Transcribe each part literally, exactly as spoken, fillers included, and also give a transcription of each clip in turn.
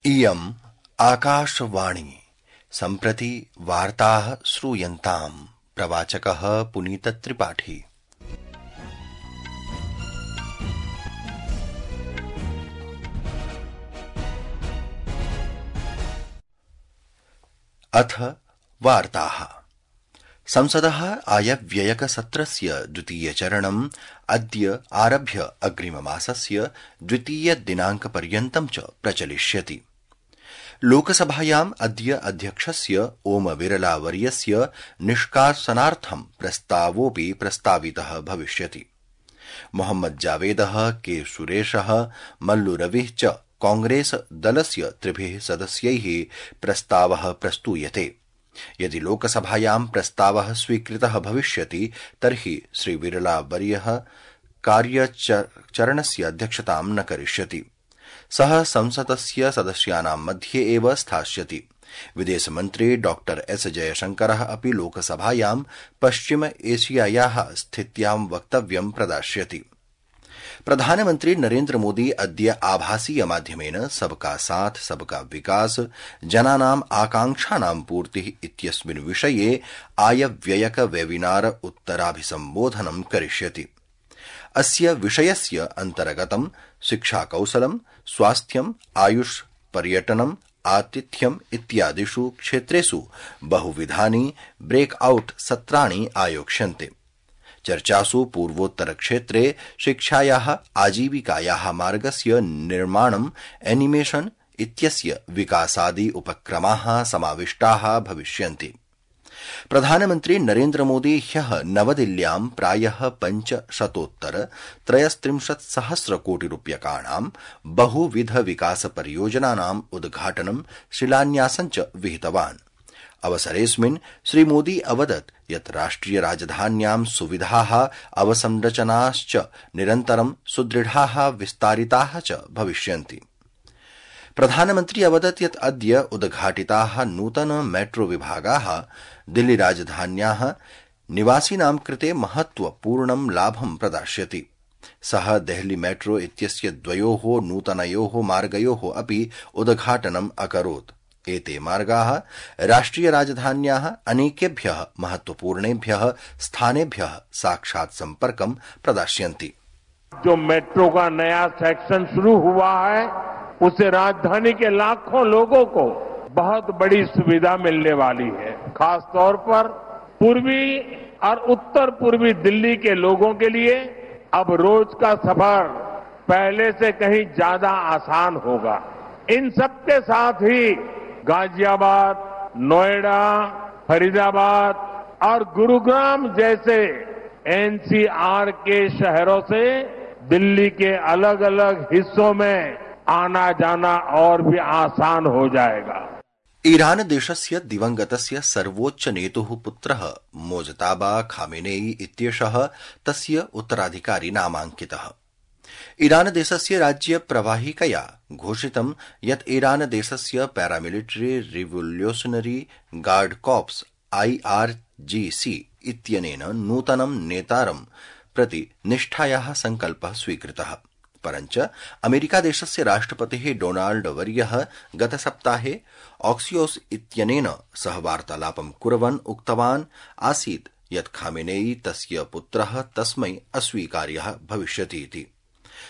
इयम् आकाशवाणी सम्प्रति वार्ताः श्रूयन्ताम्। प्रवाचकः पुनीतत्रिपाठी। अथ वार्ताः। संसदः आयव्ययकसत्रस्य द्वितीयचरणम् अद्य आरभ्य अग्रिममासस्य द्वितीयदिनाङ्कपर्यन्तं च प्रचलिष्यति। लोकसभायाम् अद्य अध्यक्षस्य ओम बिरला वर्यस्य निष्कासनार्थं प्रस्तावोऽपि प्रस्तावितः भविष्यति। मोहम्मद जावेदः, के सुरेशः, मल्लु रविः च कांग्रेस दलस्य त्रिभिः सदस्यैः प्रस्तावः प्रस्तूयते। यदि लोकसभायां प्रस्तावः स्वीकृतः भविष्यति तर्हि श्री बिरला वर्यः कार्यचरणस्य अध्यक्षतां न करिष्यति। सः संसदस्य सदस्यानां मध्ये एव स्थास्यति। विदेशमन्त्री डॉक्टर एस जयशंकरः अपि लोकसभायां पश्चिम एशियायाः स्थित्यां वक्तव्यं प्रदास्यति। प्रधानमन्त्री नरेन्द्र मोदी अद्य आभासीय माध्यमेन सबका साथ सबका विकास जनानाम् आकांक्षानां पूर्तिः इत्यस्मिन् विषये आयव्ययक वेबिनार उत्तराभिसम्बोधनं करिष्यति। अस्य विषयस्य अन्तर्गतं शिक्षाकौशलं, स्वास्थ्यम्, आयुष, पर्यटनम्, आतिथ्यम् इत्यादिषु क्षेत्रेषु बहुविधानि ब्रेकआउट सत्राणि आयोक्ष्यन्ते। चर्चासु पूर्वोत्तरक्षेत्रे शिक्षायाः आजीविकायाः मार्गस्य निर्माणम्, एनिमेशन इत्यस्य विकासादि उपक्रमाः समाविष्टाः भविष्यन्ति। प्रधानमन्त्री नरेन्द्र मोदी ह्यः नवदिल्ल्यां प्रायः पञ्चशतोत्तर त्रयस्त्रिंशत् सहस्र कोटि रूप्यकाणां बहुविध विकास परियोजनानाम् उद्घाटनं, शिलान्यासं च विहितवान्। अवसरेऽस्मिन् श्रीमोदी अवदत् यत् राष्ट्रिय राजधान्यां सुविधाः, अवसंरचनाश्च निरन्तरं सुदृढाः, विस्तारिताः च भविष्यन्ति। प्रधानमन्त्री अवदत् यत् अद्य उद्घाटिताः नूतन मेट्रो विभागाः दिल्ली राजधान्याः निवासिनां कृते महत्वपूर्णं लाभं प्रदास्यति। सः देहली मेट्रो इत्यस्य द्वयोः नूतनयोः मार्गयोः अपि उद्घाटनम् अकरोत्। एते मार्गाः राष्ट्रिय राजधान्याः अनेकेभ्यः महत्वपूर्णेभ्यः स्थानेभ्यः साक्षात् संपर्कं प्रदास्यन्ति। जो मेट्रो का नया सेक्शन शुरू हुआ है, उससे राजधानी के लाखों लोगों को बहुत बड़ी सुविधा मिलने वाली है। खास तौर पर पूर्वी और उत्तर पूर्वी दिल्ली के लोगों के लिए अब रोज का सफर पहले से कहीं ज्यादा आसान होगा। इन सबके साथ ही गाजियाबाद, नोएडा, फरीदाबाद और गुरुग्राम जैसे एनसीआर के शहरों से दिल्ली के अलग अलग हिस्सों में आना जाना और भी आसान हो जाएगा। ईरान देशस्य दिवंगतस्य सर्वोच्च नेतुः पुत्रः मोजताबा खामेनेई इत्येषः तस्य उत्तराधिकारी नामाङ्कितः। ईरान देशस्य राज्य प्रवाहिकया घोषितं यत् ईरान देशस्य paramilitary revolutionary guard corps IRGC इत्यनेन नूतनं नेतारं प्रति निष्ठायाः संकल्पः स्वीकृतः। परञ्च अमेरिकादेशस्य राष्ट्रपतिः डोनाल्ड वर्यः गतसप्ताहे ऑक्सियोस इत्यनेन सह वार्तालापं कुर्वन् उक्तवान् आसीत् यत् खामेनेई तस्य पुत्रः तस्मै अस्वीकार्यः भविष्यति इति।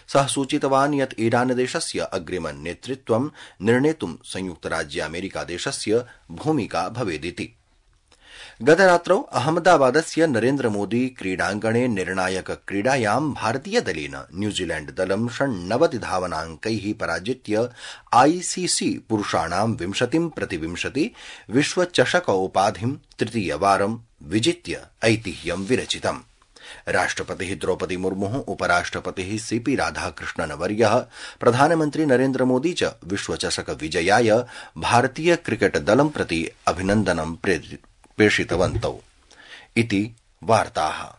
सः सूचितवान् यत् ईरानदेशस्य अग्रिमं नेतृत्वं निर्णेतुं संयुक्तराज्यामेरिकादेशस्य भूमिका भवेदिति। गतरात्रौ अहमदाबादस्य नरेन्द्र मोदी क्रीडाङ्गणे निर्णायक क्रीडायां भारतीयदलेन न्यूजीलैण्ड दलं षण्णवति धावनाङ्कैः पराजित्य आईसीसी पुरुषाणां विंशतिं प्रति विंशति विश्वचषक उपाधिं तृतीयवारं विजित्य ऐतिह्यं विरचितम्। राष्ट्रपतिः द्रौपदी मुर्मुः, उपराष्ट्रपतिः सीपी राधाकृष्णन वर्यः, प्रधानमन्त्री नरेन्द्र मोदी च विश्वचषक विजयाय भारतीय क्रिकेट दलं प्रति अभिनन्दनं प्रेषितवन्तौ इति वार्ताः।